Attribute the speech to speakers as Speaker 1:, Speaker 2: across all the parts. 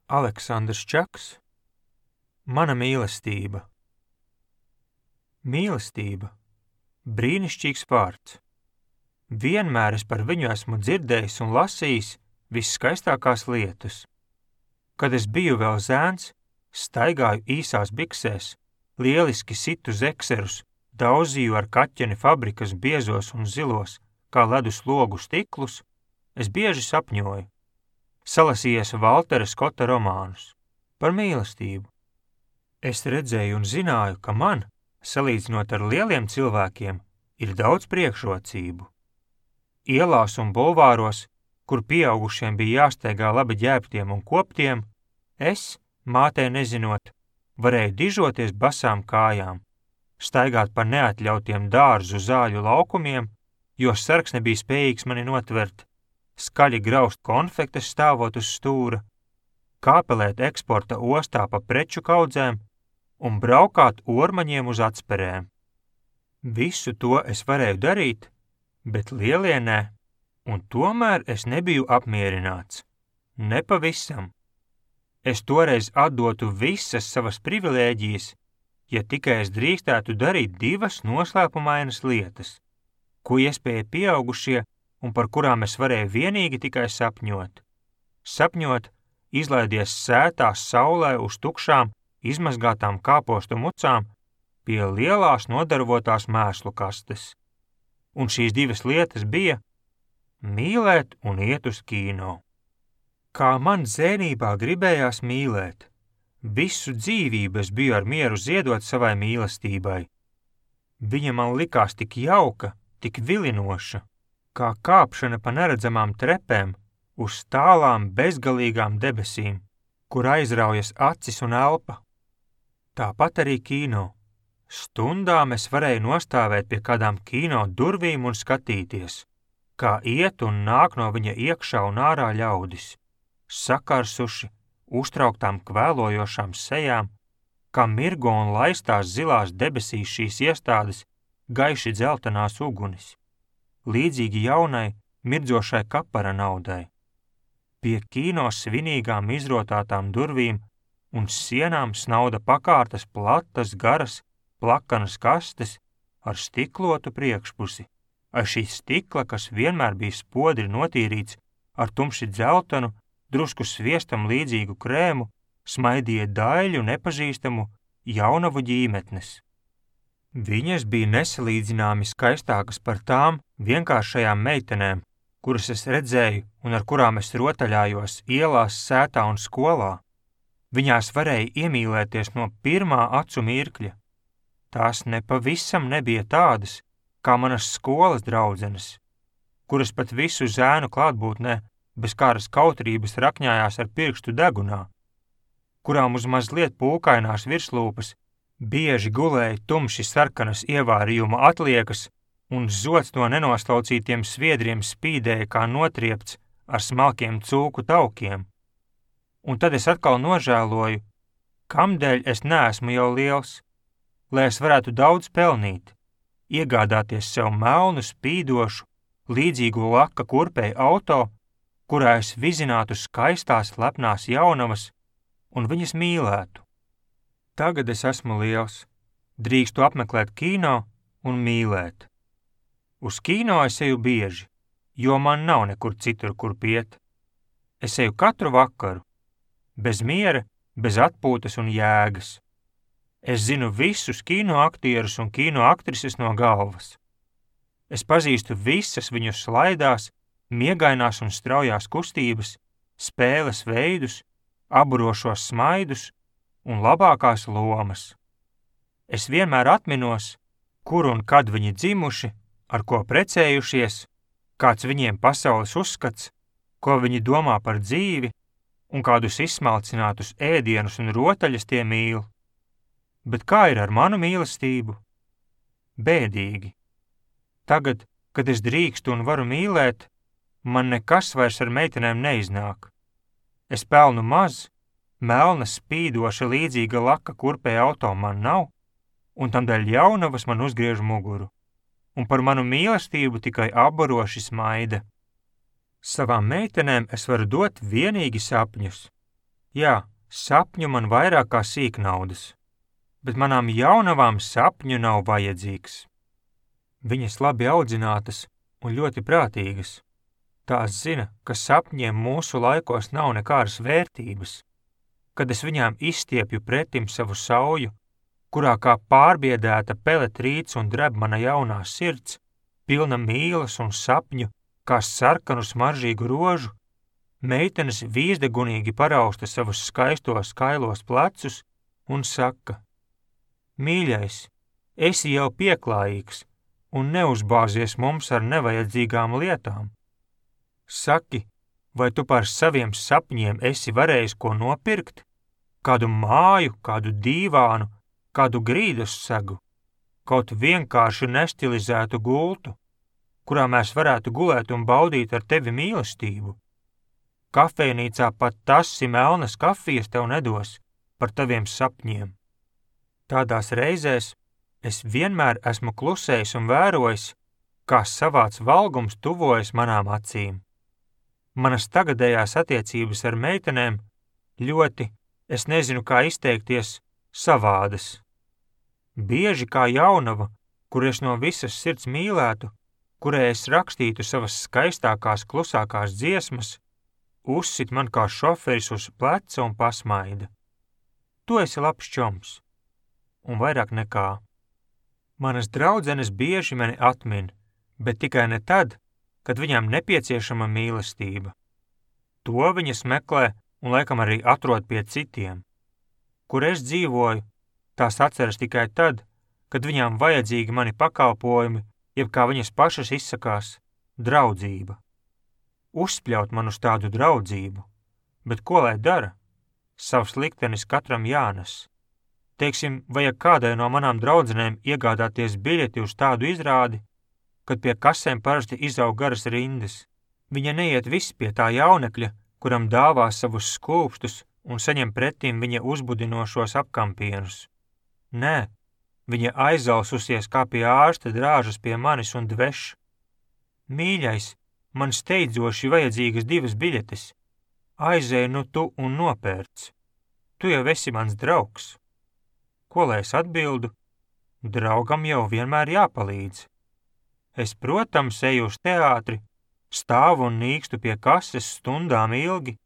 Speaker 1: Aleksandrs Čaks. Mana mīlestība. Mīlestība. Brīnišķīgs vārds. Vienmēr es par viņu esmu dzirdējis un lasījis visskaistākās lietas. Kad es biju vēl zēns, staigāju īsās biksēs, lieliski situ zekserus, daudzīju ar kaķeni fabrikas biezos un zilos, kā ledus logu stiklus, es bieži sapņoju. Salasījies Valtera Skota romānus par mīlestību. Es redzēju un zināju, ka man, salīdzinot ar lieliem cilvēkiem, ir daudz priekšrocību. Ielās un bulvāros, kur pieaugušiem bija jāsteigā labi ģērbtiem un koptiem, es, mātei nezinot, varēju dižoties basām kājām, staigāt pa neatļautiem dārzu zāļu laukumiem, jo sargs nebija spējīgs mani notvert, skaļi graust konfektes stāvot uz stūra, kāpelēt eksporta ostā pa preču kaudzēm un braukāt ormaņiem uz atsperēm. Visu to es varēju darīt, bet lielie nē, un tomēr es nebiju apmierināts. Nepavisam. Es toreiz atdotu visas savas privilēģijas, ja tikai es drīkstētu darīt divas noslēpumainas lietas, ko iespēja pieaugušie un par kurām es varēju vienīgi tikai sapņot. Sapņot, izlaidies sētās saulē uz tukšām, izmazgātām kāpostu mucām pie lielās nodarvotās mēslu kastes. Un šīs divas lietas bija mīlēt un iet uz kino. Kā man zēnībā gribējās mīlēt, visu dzīvību es biju ar mieru ziedot savai mīlestībai. Viņa man likās tik jauka, tik vilinoša, kā kāpšana pa neredzamām trepēm uz tālām bezgalīgām debesīm, kur aizraujas acis un elpa. Tāpat arī kino. Stundām es varēju nostāvēt pie kādām kino durvīm un skatīties, kā iet un nāk no viņa iekšā un ārā ļaudis, sakarsuši, uztrauktām kvēlojošām sejām, kā mirgo un laistās zilās debesīs šīs iestādes gaiši dzeltenās ugunis, līdzīgi jaunai, mirdzošai kapara naudai. Pie kino svinīgām izrotātām durvīm un sienām snauda pakārtas platas, garas, plakanas kastes ar stiklotu priekšpusi, ar šī stikla, kas vienmēr bija spodri notīrīts ar tumši dzeltenu, drusku sviestam līdzīgu krēmu, smaidīja daļu nepazīstamu jaunavu ģīmetnes. Viņas bija nesalīdzināmi skaistākas par tām vienkāršajām meitenēm, kuras es redzēju un ar kurām es rotaļājos ielās, sētā un skolā. Viņās varēja iemīlēties no pirmā acu mirkļa. Tās nepavisam nebija tādas, kā manas skolas draudzenes, kuras pat visu zēnu klātbūtnē bez kāras kautrības rakņājās ar pirkstu degunā, kurām uz mazliet pūkainās virslūpas bieži gulēja tumši sarkanas ievārījuma atliekas un zods no nenoslaucītiem sviedriem spīdēja kā notriepts ar smalkiem cūku taukiem. Un tad es atkal nožēloju, kamdēļ es neesmu jau liels, lai es varētu daudz pelnīt, iegādāties sev melnu, spīdošu, līdzīgu laka kurpei auto, kurā es vizinātu skaistās lepnās jaunavas un viņas mīlētu. Tagad es esmu liels, drīkstu apmeklēt kino un mīlēt. Uz kino es eju bieži, jo man nav nekur citur, kur iet. Es eju katru vakaru, bez miera, bez atpūtas un jēgas. Es zinu visus kino aktierus un kino aktrises no galvas. Es pazīstu visas viņu slaidās, miegainās un straujās kustības, spēles veidus, aburošos smaidus un labākās lomas. Es vienmēr atminos, kur un kad viņi dzimuši, ar ko precējušies, kāds viņiem pasaules uzskats, ko viņi domā par dzīvi un kādus izsmalcinātus ēdienus un rotaļas tie mīl. Bet kā ir ar manu mīlestību? Bēdīgi. Tagad, kad es drīkstu un varu mīlēt, man nekas vairs ar meitenēm neiznāk. Es pelnu maz, melna spīdoša līdzīga laka kurpei auto man nav, un tamdēļ jaunavas man uzgriež muguru, un par manu mīlestību tikai abaroši smaida. Savām meitenēm es varu dot vienīgi sapņus. Jā, sapņu man vairāk kā sīknaudas, bet manām jaunavām sapņu nav vajadzīgs. Viņas labi audzinātas un ļoti prātīgas. Tās zina, ka sapņiem mūsu laikos nav nekādas vērtības. Kad es viņām izstiepju pretim savu sauju, kurā kā pārbiedēta pelet rīts un dreb mana jaunā sirds, pilna mīlas un sapņu, kā sarkanu smaržīgu rožu, meitenes vīzdegunīgi parausta savus skaistos kailos plecus un saka: Mīļais, esi jau pieklājīgs un neuzbāzies mums ar nevajadzīgām lietām. Saki, vai tu par saviem sapņiem esi varējis ko nopirkt? Kādu māju, kādu dīvānu, kādu grīdas segu, kaut vienkārši nestilizētu gultu, kurā mēs varētu gulēt un baudīt ar tevi mīlestību. Kafejnīcā pat tasi melnas kafijas tev nedos par taviem sapņiem. Tādās reizēs es vienmēr esmu klusējis un vērojis, kā savāds valgums tuvojas manām acīm. Manas tagadējās attiecības ar meitenēm ļoti, es nezinu kā izteikties, savādas. Bieži kā jaunava, kur es no visas sirds mīlētu, kurai es rakstītu savas skaistākās, klusākās dziesmas, uzsit man kā šoferis uz pleca un pasmaida. Tu esi labs čoms, un vairāk nekā. Manas draudzenes bieži mani atmin, bet tikai ne tad, kad viņām nepieciešama mīlestība. To viņas meklē un laikam arī atrod pie citiem. Kur es dzīvoju, tās atceras tikai tad, kad viņām vajadzīgi mani pakalpojumi, jeb kā viņas pašas izsakās, draudzība. Uzspļaut man uz tādu draudzību, bet ko lai dara? Savs liktenis katram jānes. Teiksim, vajag kādai no manām draudzenēm iegādāties biļeti uz tādu izrādi, kad pie kasēm parasti izaug garas rindas. Viņa neiet viss pie tā jaunekļa, kuram dāvā savus skūpstus un saņem pretim viņa uzbudinošos apkampienus. Nē, viņa aizalsusies kā pie ārsta drāžas pie manis un dveš. Mīļais, man steidzoši vajadzīgas 2 biļetes. Aizej nu tu un nopērc. Tu jau esi mans draugs. Ko lai es atbildu? Draugam jau vienmēr jāpalīdz. Es, protams, eju uz teātri, stāvu un nīkstu pie kases stundām ilgi,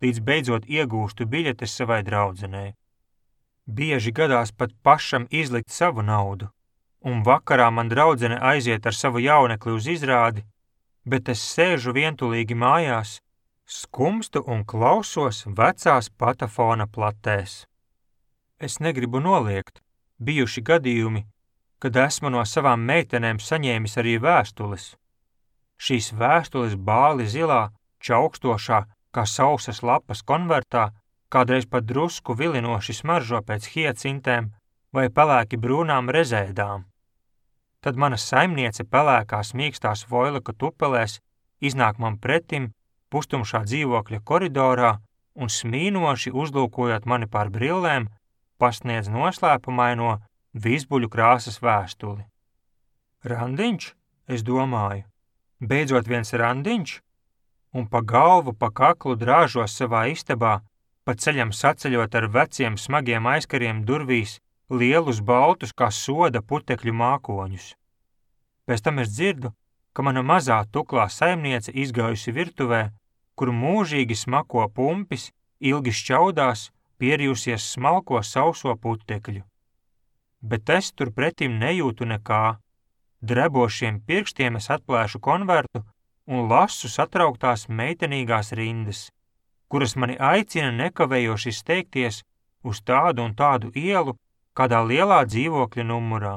Speaker 1: līdz beidzot iegūstu biļetes savai draudzenei. Bieži gadās pat pašam izlikt savu naudu, un vakarā man draudzene aiziet ar savu jaunekli uz izrādi, bet es sēžu vientulīgi mājās, skumstu un klausos vecās patafona platēs. Es negribu noliegt, bijuši gadījumi, kad esmu no savām meitenēm saņēmis arī vēstules. Šīs vēstules bāli zilā, čaukstošā, kā sausas lapas konvertā, kādreiz pat drusku vilinoši smaržo pēc hiacintēm vai pelēki brūnām rezēdām. Tad mana saimniece pelēkās mīkstās voilaka tupelēs iznāk man pretim pustumšā dzīvokļa koridorā un smīnoši uzlūkojot mani pār brillēm, pasniedz noslēpumaino vizbuļu krāsas vēstuli. Randiņš, es domāju, beidzot viens randiņš, un pa galvu, pa kaklu drāžos savā istabā, pa ceļam saceļot ar veciem smagiem aizkariem durvīs lielus baltus kā soda putekļu mākoņus. Pēc tam es dzirdu, ka mana mazā tuklā saimniece izgājusi virtuvē, kur mūžīgi smako pumpis, ilgi šķaudās, pierījusies smalko sauso putekļu. Bet es tur pretim nejūtu nekā. Drebošiem pirkstiem es atplēšu konvertu un lasu satrauktās meitenīgās rindas, kuras mani aicina nekavējoši steigties uz tādu un tādu ielu kādā lielā dzīvokļa numurā.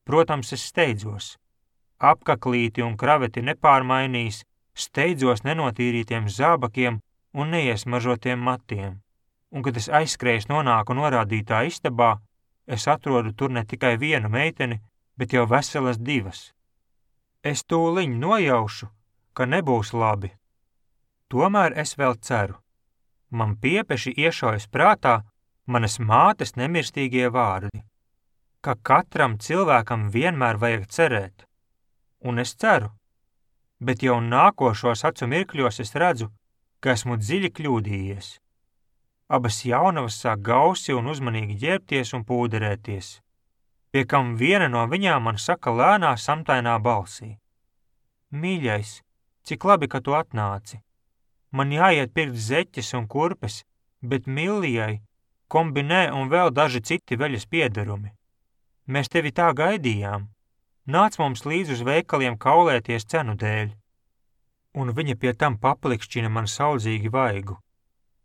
Speaker 1: Protams, es steidzos. Apkaklīti un kraveti nepārmainīs, steidzos nenotīrītiem zābakiem un neiesmažotiem matiem. Un, kad es aizskrējis nonāku norādītā istabā, es atrodu tur ne tikai vienu meiteni, bet jau veselas 2. Es tūliņ nojaušu, ka nebūs labi. Tomēr es vēl ceru. Man piepeši iešaujas prātā manas mātes nemirstīgie vārdi, ka katram cilvēkam vienmēr vajag cerēt. Un es ceru, bet jau nākošos acu mirkļos es redzu, ka esmu dziļi kļūdījies. abas jaunavas sāk gausi un uzmanīgi ģērbties un pūderēties, pie kam viena no viņām man saka lēnā samtainā balsī: Mīļais, cik labi, ka tu atnāci. Man jāiet pirkt zeķes un kurpes, bet Millijai kombinē un vēl daži citi veļas piederumi. Mēs tevi tā gaidījām. Nāc mums līdz uz veikaliem kaulēties cenu dēļ. Un viņa pie tam paplikšķina man saudzīgi vaigu.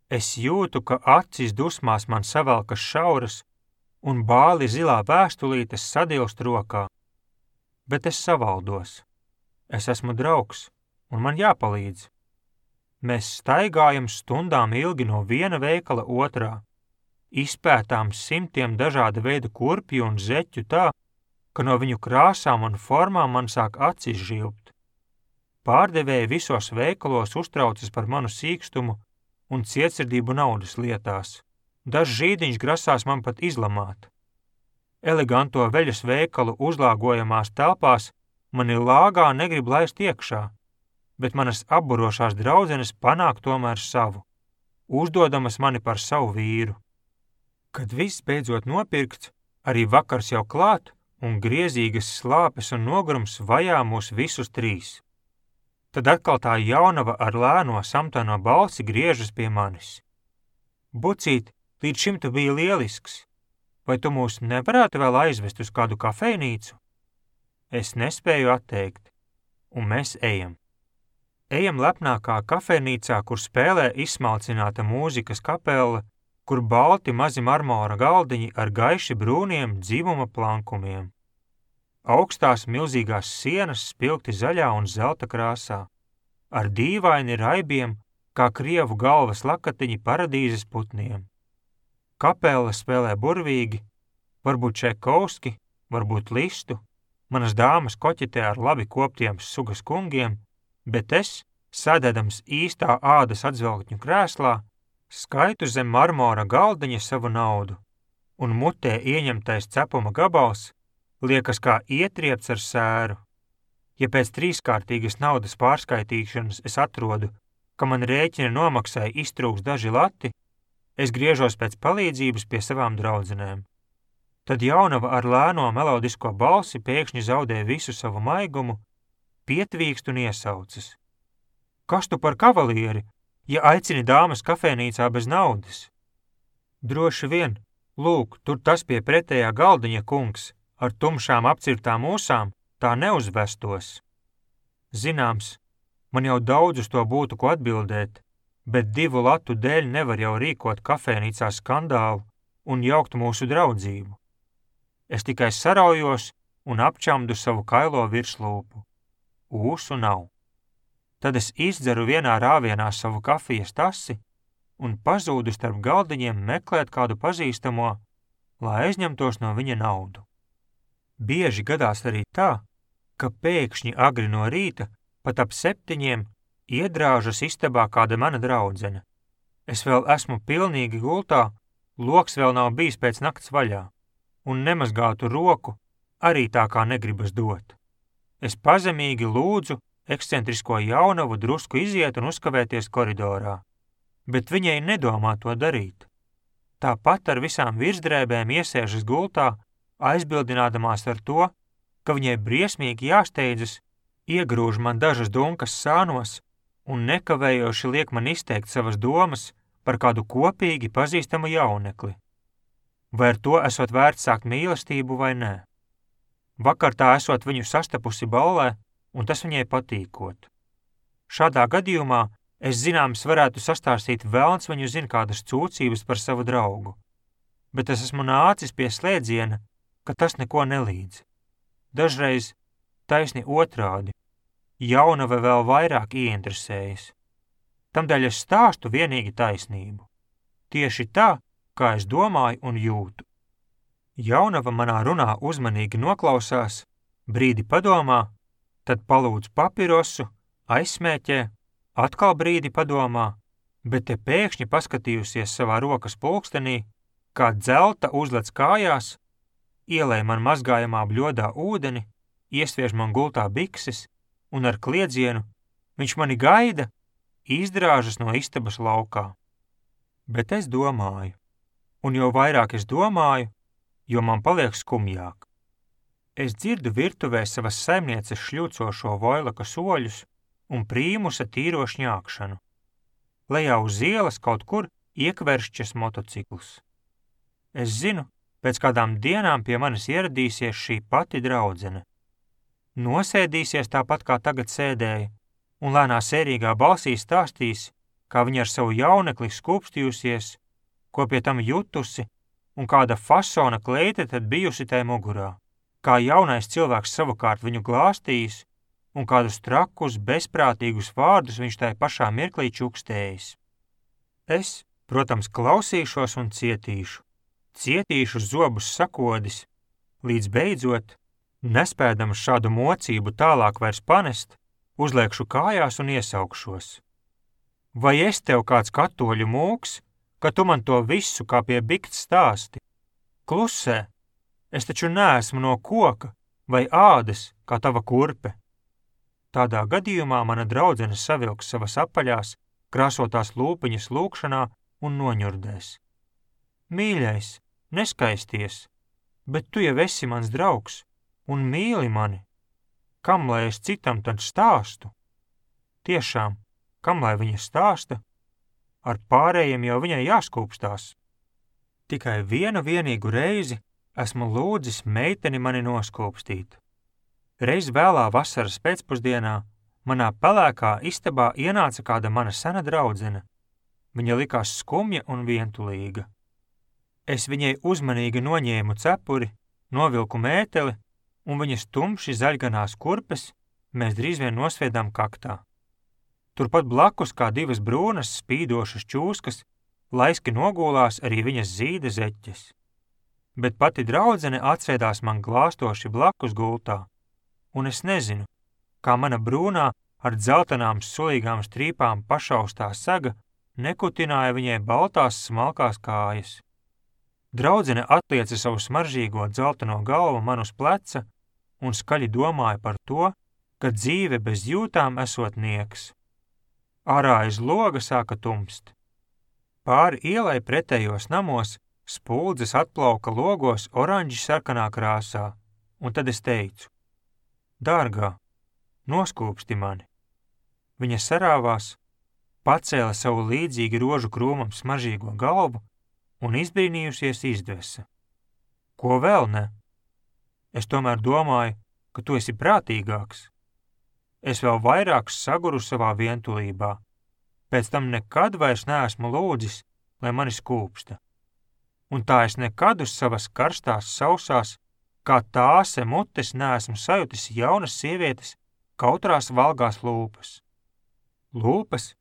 Speaker 1: Es jūtu, ka acis dusmās man savelkas šauras un bāli zilā vēstulītes sadilst rokā. Bet es savaldos. Es esmu draugs, un man jāpalīdz. Mēs staigājam stundām ilgi no viena veikala otrā, izpētām simtiem dažāda veida kurpju un zeķu tā, ka no viņu krāsām un formām man sāk acis žilbt. Pārdevēji visos veikalos uztraucas par manu sīkstumu un cietsirdību naudas lietās. Dažs žīdiņš grasās man pat izlamāt. Eleganto veļas veikalu uzlāgojamās telpās mani lāgā negrib laist iekšā, bet manas apburošās draudzenes panāk tomēr savu, uzdodamas mani par savu vīru. Kad viss beidzot nopirkts, arī vakars jau klāt, un griezīgas slāpes un nogurums vajā mūs visus trīs. Tad atkal tā jaunava ar lēno samtaino balsi griežas pie manis. Bucīt, līdz šim tu biji lielisks. Vai tu mūs nevarētu vēl aizvest uz kādu kafejnīcu? Es nespēju atteikt, un mēs ejam. Ejam lepnākā kafejnīcā, kur spēlē izsmalcināta mūzikas kapela, kur balti mazi marmora galdiņi ar gaiši brūniem dzimuma plankumiem. Augstās milzīgās sienas spilgti zaļā un zelta krāsā, ar dīvaini raibiem, kā krievu galvas lakatiņi paradīzes putniem. Kapela spēlē burvīgi, varbūt Čaikovski, varbūt Listu, manas dāmas koķetē ar labi koptiem sugas kungiem, bet es, sēdēdams īstā ādas atzvelkņu krēslā, skaitu zem marmora galdiņa savu naudu, un mutē ieņemtais cepuma gabals liekas kā ietriepts ar sēru. Ja pēc trīskārtīgas naudas pārskaitīšanas es atrodu, ka man rēķina nomaksai iztrūks daži lati, es griežos pēc palīdzības pie savām draudzenēm. Tad jaunava ar lēno melodisko balsi pēkšņi zaudē visu savu maigumu, pietvīkst un iesaucas. Kas tu par kavalieri, ja aicini dāmas kafejnīcā bez naudas? Droši vien, lūk, tur tas pie pretējā galdiņa kungs, ar tumšām apcirtām ūsām, tā neuzvestos. Zināms, man jau daudz uz to būtu ko atbildēt, bet 2 latu dēļ nevar jau rīkot kafejnīcā skandālu un jaukt mūsu draudzību. Es tikai saraujos un apčamdu savu kailo virslūpu. Ūsu nav. Tad es izdzeru vienā rāvienā savu kafijas tasi un pazūdu starp galdiņiem meklēt kādu pazīstamo, lai aizņemtos no viņa naudu. Bieži gadās arī tā, ka pēkšņi agri no rīta, pat ap 7, iedrāžas istabā kāda mana draudzene. Es vēl esmu pilnīgi gultā, loks vēl nav bijis pēc nakts vaļā, un nemazgātu roku arī tā kā negribas dot. Es pazemīgi lūdzu ekscentrisko jaunavu drusku iziet un uzkavēties koridorā, bet viņai nedomā to darīt. Tāpat ar visām virsdrēbēm iesēžas gultā, aizbildinādamās ar to, ka viņai briesmīgi jāsteidzas, iegrūž man dažas dunkas sānos un nekavējoši liek man izteikt savas domas par kādu kopīgi pazīstamu jaunekli. Vai ar to esot vērts sākt mīlestību vai nē? Vakar tā esot viņu sastapusi ballē, un tas viņai patīkot. Šādā gadījumā es zināms varētu sastāstīt velns viņu zin kādas cūcības par savu draugu, bet es esmu nācis pie slēdziena, ka tas neko nelīdz. Dažreiz taisni otrādi, jaunava vēl vairāk ieinteresējas. Tamdēļ es stāstu vienīgi taisnību. Tieši tā, kā es domāju un jūtu. Jaunava manā runā uzmanīgi noklausās, brīdi padomā, tad palūdz papirosu, aizsmēķē, atkal brīdi padomā, bet te pēkšņi paskatījusies savā rokas pulkstenī, kā dzelta uzlec kājās, ielej man mazgājamā bļodā ūdeni, iesviež man gultā bikses un ar kliedzienu viņš mani gaida, izdrāžas no istabas laukā. Bet es domāju, un jo vairāk es domāju, jo man paliek skumjāk. Es dzirdu virtuvē savas saimnieces šļūcošo Voilaka soļus un prīmusa tīro šņākšanu. Lejā uz ielas kaut kur iekveršķas motocikls. Es zinu, pēc kādām dienām pie manis ieradīsies šī pati draudzene. Nosēdīsies tāpat kā tagad sēdēja, un lēnā sērīgā balsī stāstīs, kā viņa ar savu jaunekli skūpstījusies, ko pie tam jutusi, un kāda fasona kleite tad bijusi tai mugurā, kā jaunais cilvēks savukārt viņu glāstījis, un kādus trakus, bezprātīgus vārdus viņš tai pašā mirklī čukstējis. Es, protams, klausīšos un cietīšu zobus sakodis, līdz beidzot, nespēdams šādu mocību tālāk vairs panest, uzliekšu kājās un iesaukšos. Vai es tev kāds katoļu mūks, ka tu man to visu kā pie bikts stāsti? Klusē, es taču neesmu no koka vai ādas kā tava kurpe. Tādā gadījumā mana draudzene savilks savas apaļās, krāsotās lūpiņas lūkšanā un noņurdēs. Mīļais, neskaisties, bet tu jau esi mans draugs un mīli mani. Kam lai es citam tad stāstu? Tiešām, kam lai viņa stāsta? Ar pārējiem jau viņai jāskūpstās. Tikai vienu vienīgu reizi esmu lūdzis meiteni mani noskūpstīt. Reiz vēlā vasaras pēcpusdienā manā pelēkā istabā ienāca kāda mana sena draudzene. Viņa likās skumja un vientulīga. Es viņai uzmanīgi noņēmu cepuri, novilku mēteli, un viņas tumši zaļganās kurpes mēs drīz vien nosviedām kaktā. Turpat blakus kā divas brūnas spīdošas čūskas laiski nogulās arī viņas zīda zeķes. Bet pati draudzene atsēdās man glāstoši blakus gultā, un es nezinu, kā mana brūnā ar dzeltenām sulīgām strīpām pašaustā saga nekutināja viņai baltās smalkās kājas. Draudzene atlieca savu smaržīgo dzelteno galvu man uz pleca un skaļi domāja par to, ka dzīve bez jūtām esot nieks. Ārā aiz loga sāka tumst. Pāri ielai pretējos namos spuldzes atplauka logos oranži sarkanā krāsā, un tad es teicu: Dārgā, noskūpsti mani. Viņa sarāvās, pacēla savu līdzīgi rožu krūmam smaržīgo galvu un izbrīnījusies izdvesa. Ko vēl ne? Es tomēr domāju, ka tu esi prātīgāks. Es vēl vairāk saguru savā vientulībā. Pēc tam nekad vairs neesmu lūdzis, lai mani skūpsta. Un tā es nekad uz savas karstās sausās, kā tāse mutes neesmu sajutis jaunas sievietes kautrās valgās lūpas. Lūpas,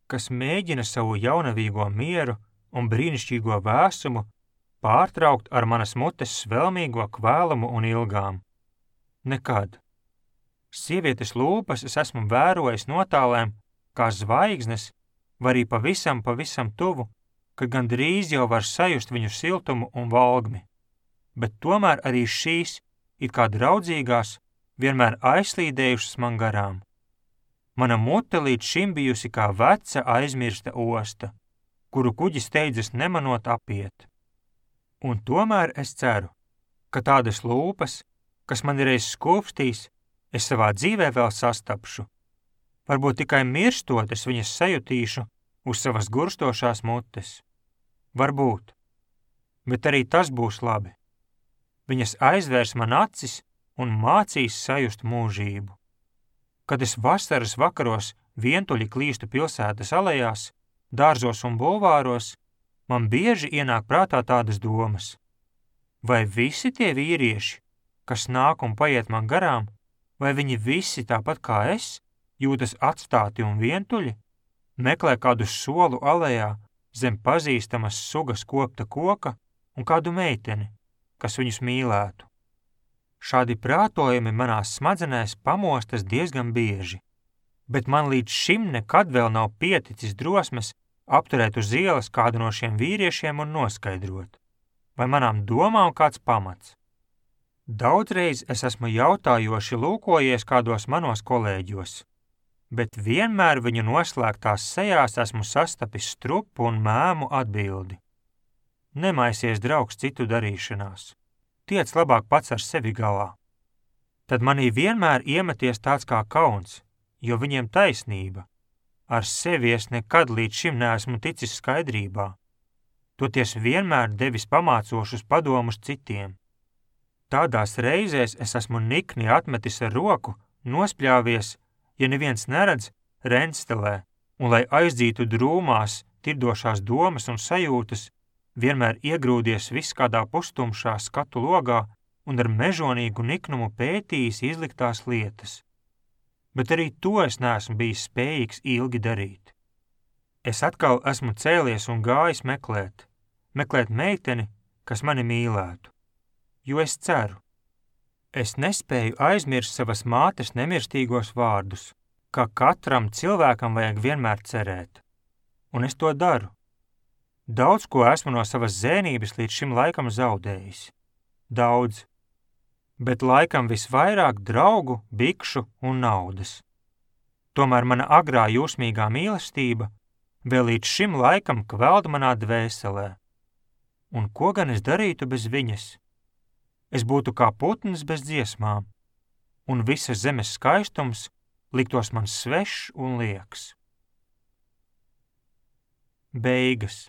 Speaker 1: kas mēģina savu jaunavīgo mieru un brīnišķīgo vēsumu pārtraukt ar manas mutes svelmīgo kvēlumu un ilgām. Nekad. Sievietes lūpas es esmu vērojis notālēm, kā zvaigznes, vai arī pavisam tuvu, kad gandrīz jau var sajust viņu siltumu un valgmi. Bet tomēr arī šīs, it kā draudzīgās, vienmēr aizslīdējušas man garām. Mana mute līdz šim bijusi kā veca aizmirsta osta, kuru kuģis steidzas nemanot apiet. Un tomēr es ceru, ka tādas lūpas, kas man reiz skūpstīs, es savā dzīvē vēl sastapšu. Varbūt tikai mirstot es viņas sajutīšu uz savas gurstošās mutes. Varbūt. Bet arī tas būs labi. Viņas aizvērs man acis un mācīs sajust mūžību. Kad es vasaras vakaros vientuļi klīstu pilsētas alejās, dārzos un bulvāros, man bieži ienāk prātā tādas domas. Vai visi tie vīrieši, kas nāk un paiet man garām, vai viņi visi tāpat kā es, jūtas atstāti un vientuļi, meklē kādu solu alejā zem pazīstamas sugas kopta koka un kādu meiteni, kas viņus mīlētu. Šādi prātojumi manās smadzenēs pamostas diezgan bieži, bet man līdz šim nekad vēl nav pieticis drosmes apturēt uz ielas kādu no šiem vīriešiem un noskaidrot, vai manām domām kāds pamats. Daudzreiz es esmu jautājoši lūkojies kādos manos kolēģos. bet vienmēr viņu noslēgtās sejās esmu sastapis strupu un mēmu atbildi. Nemaisies, draugs, citu darīšanās. Tiec labāk pats ar sevi galā. Tad manī vienmēr iemeties tāds kā kauns, jo viņiem taisnība. Ar sevi es nekad līdz šim neesmu ticis skaidrībā. Toties vienmēr devis pamācošus padomus citiem. Tādās reizēs es esmu nikni atmetis ar roku, nospļāvies, ja neviens neredz, renstelē, un lai aizdzītu drūmās, tirdošās domas un sajūtas, vienmēr iegrūdies viss kādā pustumšā skatu logā un ar mežonīgu niknumu pētījis izliktās lietas. Bet arī to es neesmu bijis spējīgs ilgi darīt. Es atkal esmu cēlies un gājis meklēt meiteni, kas mani mīlētu, jo es ceru. Es nespēju aizmirst savas mātes nemirstīgos vārdus, ka katram cilvēkam vajag vienmēr cerēt, un es to daru. Daudz ko esmu no savas zēnības līdz šim laikam zaudējis. Daudz. Bet laikam visvairāk draugu, bikšu un naudas. Tomēr mana agrā jūsmīgā mīlestība vēl līdz šim laikam kveld manā dvēselē. Un ko gan es darītu bez viņas? Es būtu kā putns bez dziesmām, un visas zemes skaistums liktos man svešs un lieks. Beigas.